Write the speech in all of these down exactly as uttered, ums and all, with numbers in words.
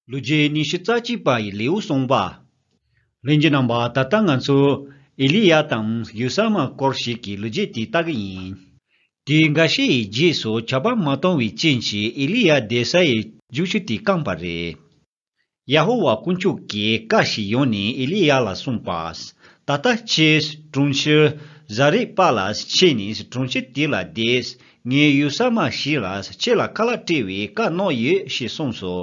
ལོ་རྒྱུས་ཉི་ཤུ་རྩ་གཅིག་པ་ཡི་ལེའུ་གསུངས་པ། ལྷན་རྒྱས་རྣམ་པ། ད་ལྟ་ང་ཚོ་ཨེ་ལི་ཡ་དང་ཡུ་ས་མ་སྐོར་ཞིག་གི་ལོ་རྒྱུས་དེ་ལྟ་གི་ཡིན། དེའི་འགའ་ཤས་ཡི་རྗེས་སུ་ཆར་པ་མ་གཏོང་བའི་རྐྱེན་གྱིས་ཨེ་ལི་ཡ་བསྡད་ས་ཡི་རྒྱུག་ཆུ་དེ་བསྐམས་པ་རེད། ཡ་ཧོ་ཝཱ་དཀོན་མཆོག་གིས་བཀའ་ཞིག་ཡོང་ནས་ཨེ་ལི་ཡ་ལ་གསུངས་པ། ད་ལྟ་ཁྱེད་གྲོང་ཁྱེར་ཟ་རེད་པ་ལ་ཕྱིན་ནས་གྲོང་ཁྱེར་དེ་ལ་བསྡད། ངས་ཡུ་ས་མ་ཞིག་ལ་ཁྱེད་ལ་ཁ་ལག་སྤྲད་པའི་བཀའ་གནང་ཡོད་ཞེས་གསུངས་སོ།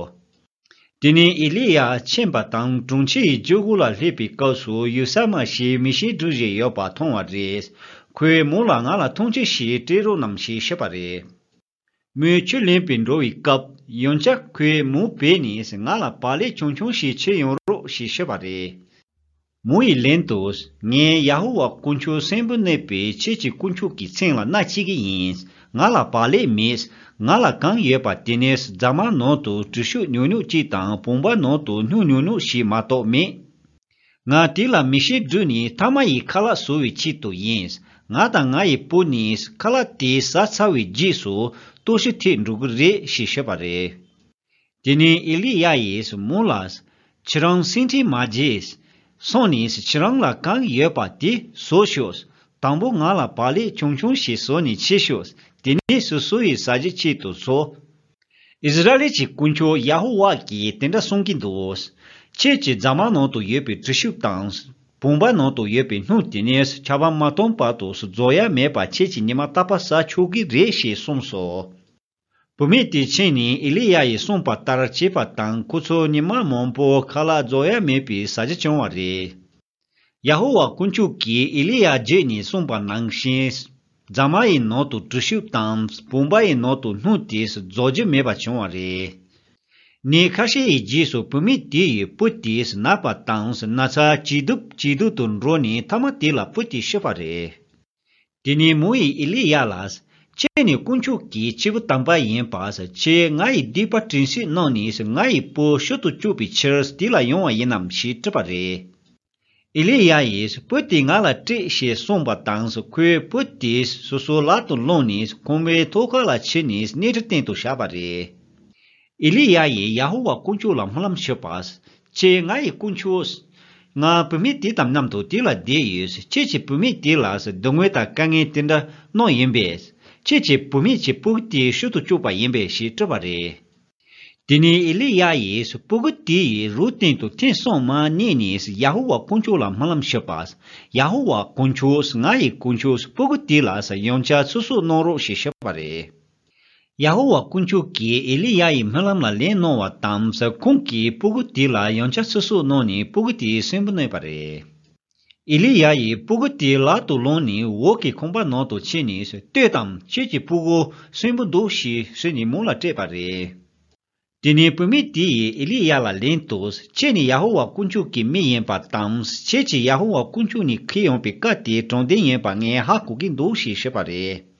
དེ་ནས་ཨེ་ལི་ཡ་ཕྱིན་པ་དང་གྲོང་ཁྱེར་ཡི་རྒྱུག་ཁུག་ལ་སླེབས་པའི་སྐབས་སུ་ཡུ་ས་མ་ཞིག་མི་ཞིག་སྒྲུག་བཞིན་ཡོད་པ་མཐོང་བ་རེད། ཁོས་མོ་ལ་ང་ལ་འཐུང་ཆུ་ཞིག་སྤྲད་རོགས་གནང་ཞེས་ཤོད་པ་རེད། མོས་ཆུ་ལེན་པའི་འགྲོ་བའི་སྐབས་ཡང་བསྐྱར་ཁོས་མོ་བོས་ནས་ང་ལ་བག་ལེབ་ཆུང་ཆུང་ཞིག་ཁྱེར་ཡོང་རོགས་ཞེས་ཤོད་པ་རེད། མོ་ཡི་ལན་དུ། ངས་ཡ་ཧོ་ཝཱ་དཀོན་མཆོག་གསོན་པོ་གནས་པའི་ཁྱེད་ཀྱི་དཀོན་མཆོག་གི་མཚན་ལ་མནའ་བསྐྱལ་གྱི་ཡིན། ང་ལ་བག་ལེབ་མེད། ང་ལ་གང་ཡོད་པ་དེ་ནི་རྫ་མ་ནང་དུ་གྲུ་ཤུབས་ཉུང་ཉུང་གཅིག་དང་བུམ་པ་ནང་དུ་སྣུམ་ཉུང་ཉུང་ཞིག་མ་གཏོགས་མེད། ང་དེ་ལ་མི་ཞིག་བསྒྲུགས་ནས་ཐ་མ་ཡི་ཁ་ལག་བཟོ་བའི་ཆེད་དུ་ཡིན། ང་དང་ང་ཡི་བུ་ནི་ཁ་ལག་དེ་ཟ་ཚར་བའི་རྗེས་སུ་ལྟོགས་ཤི་ཐེབས་འགྲོ་གི་རེད་ཞེས་ཤོད་པ་རེད། དེ་ནས་ཨེ་ལི་ཡ་ཡིས་མོ་ལ། ཁྱེད་རང་སེམས་ཁྲལ་མ་བྱེད། སོང་ནས་ཁྱེད་རང་ལ་གང་ཡོད་པ་དེ་བཟོ་ཤོག་དང་པོ་ང་ལ་བག་ལེབ་ཆུང་ཆུང་ཞིག་བཟོ་ནས་ཁྱེར་ཤོག་དེ་ནས་སོ་སོ་ཡི་ཟ་རྒྱུ་ཆེད་དུ་བཟོ། ཨིསི་ར་ཨེལ་གྱི་དཀོན་མཆོག་ཡ་ཧོ་ཝཱ་གིས་དེ་འདྲ་གསུང་གི་འདུག་ཁྱེད་ཀྱི་རྫ་མ་ནང་དུ་ཡོད་པའི་གྲུ་ཤུབས་དང་། བུམ་པ་ནང་དུ་ཡོད་པའི་སྣུམ་དེ་ནི་ཆར་པ་མ་གཏོང་བར་དུ་རྫོགས་ཡ་མེད་པ་ཁྱེད་ཀྱིས་ཉི་མ་རྟག་པར་ཟ་ཆོག་གི་རེད་ཞེས་གསུངས་སོ། བུད་མེད་དེ་ཕྱིན་ནས་ཨེ་ལི་ཡ་ཡིས་གསུངས་པ་ལྟར་བྱས་པ་དང་ཁོ་ཚོ་ཉི་མ་མང་པོ་ཁ་ལག་རྫོགས་ཡ་མེད་པའི་ཟ་རྒྱུ་བྱུང་བ་རེད། ཡ་ཧོ་ཝཱ་དཀོན་མཆོག་གིས་ཨེ་ལི་ཡ་བརྒྱུད་ནས་གསུངས་པ་ནང་བཞིན། རྫ་མ་ཡི་ནང་དུ་གྲུ་ཤུབས་དང་བུམ་པ་ཡི་ནང་དུ་སྣུམ་དེ་རྫོགས་རྒྱུ་མེད་པ་བྱུང་བ་རེད། ཉིན་ཁ་ཤས་ཡི་རྗེས་སུ་བུད་མེད་དེ་ཡི་བུ་དེས་ན་བ་དང་ན་ཚ་ཇེ་སྡུག་ཇེ་སྡུག་ཏུ་འགྲོ་ནས་མཐའ་མ་དེ་ལ་བུ་དེས་ཤི་བ་རེད། དེ་ནས་མོ་ཡིས་ཨེ་ལི་ཡ་ལ། ཁྱེད་ནི་དཀོན་མཆོག་གི་སྐྱེས་བུ་དམ་པ་ཡིན་པས་ཁྱེད་ང་ཡི་སྡིག་པ་དྲན་གསོ་གནང་ནས་ང་ཡི་བུ་ཤི་དུ་བཅུག་པའི་ཕྱིར་དེ་ལ་ཡོང་བ་ཡིན་ནམ་ཞེས་དྲིས་པ་རེད། ཨེ་ལི་ཡ་ཡིས་བུ་དེ་ང་ལ་སྤྲད་ཞེས་གསུངས་པ་དང་ཁོས་བུ་དེ་སོ་སོའི་ལག་ཏུ་བླངས་ནས་ཁང་པའི་ཐོག་ཁ་ལ་ཁྱེར་ནས་སྣེ་ཁྲི་སྟེང་དུ་བཞག་པ་རེད། ཨེ་ལི་ཡ་ཡིས་ཡ་ཧོ་ཝཱ་དཀོན་མཆོག་ལ་སྨོན་ལམ་ཞུས་པ། ཁྱེད་ང་ཡི་དཀོན་མཆོག་ང་བུད་མེད་དེ་དང་མཉམ་དུ་དེ་ལ་བསྡད་ཡོད། ཁྱེད་ཀྱིས་བུད་མེད་དེ་ལ་སྡུག་བསྔལ་དང་དཀའ་ངལ་དེ་འདྲ་གནང་ཡིན་པས། ཁྱེད་ཀྱིས་བུད་མེད་ཀྱི་སྤུ་གུ་དེ་ཤི་དུ་བཅུག་པ་ཡིན་པས་ཞེས་དྲིས་པ་རེད། དེ་ནས་ཨེ་ལི་ཡ་ཡིས་སྤུ་གུ་དེ་ཡི་རོའི་སྟེང་དུ་ཐེངས་གསུམ་མར་མནན་ནས་ཡ་ཧོ་ཝཱ་དཀོན་མཆོག་ལ་སྨོན་ལམ་ཞུས་པ། ཡ་ཧོ་ཝཱ་དཀོན་མཆོག་ང་ཡི་དཀོན་མཆོག་སྤུ་གུ་དེ་ལ་ཡང་བསྐྱར་ཚེ་སྲོག་གནང་རོགས་ཞེས་ཞུས་པ་རེད། ཡ་ཧོ་ཝཱ་དཀོན་མཆོག་གིས་ཨེ་ལི་ཡ་ཡི་སྨོན་ལམ་ལ་ལན་གནང་བ་དང་ཁོང་གིས་སྤུ་གུ་དེ་ལ་ཡང་བསྐྱར་ཚེ་སྲོག་གནང་ནས་སྤུ་གུ་དེ་གསོན་པོ་གནས་པ་རེད། ཨེ་ལི་ཡ་ཡིས་སྤུ་གུ་དེ་ལག་ཏུ་བླངས་ནས་འོག་གི་ཁང་པ་ནང་དུ་ཕྱིན་ནས་ལྟོས་དང་ཁྱེད་ཀྱི་སྤུ་གུ་གསོན་པོ་འདུག་ཞེས་ཟེར་ནས་མོ་ལ་སྤྲད་པ་རེད། དེ་ནས་བུད་མེད་དེ་ཡིས་ཨེ་ལི་ཡ་ལ་ལན་དུ་ཁྱེད་ནི་ཡ་ཧོ་ཝཱ་དཀོན་མཆོག་གི་མི་ཡིན་པ་དང་ཁྱེད་ཀྱིས་ཡ་ཧོ་ཝཱ་དཀོན་མཆོག་ནས་ཁྱེར་ཡོང་པའི་བཀའ་དེ་དྲང་བདེན་ཡིན་པ་ངས་ཧ་གོ་གི་འདུག་ཞེས་ཞུས་པ་རེད།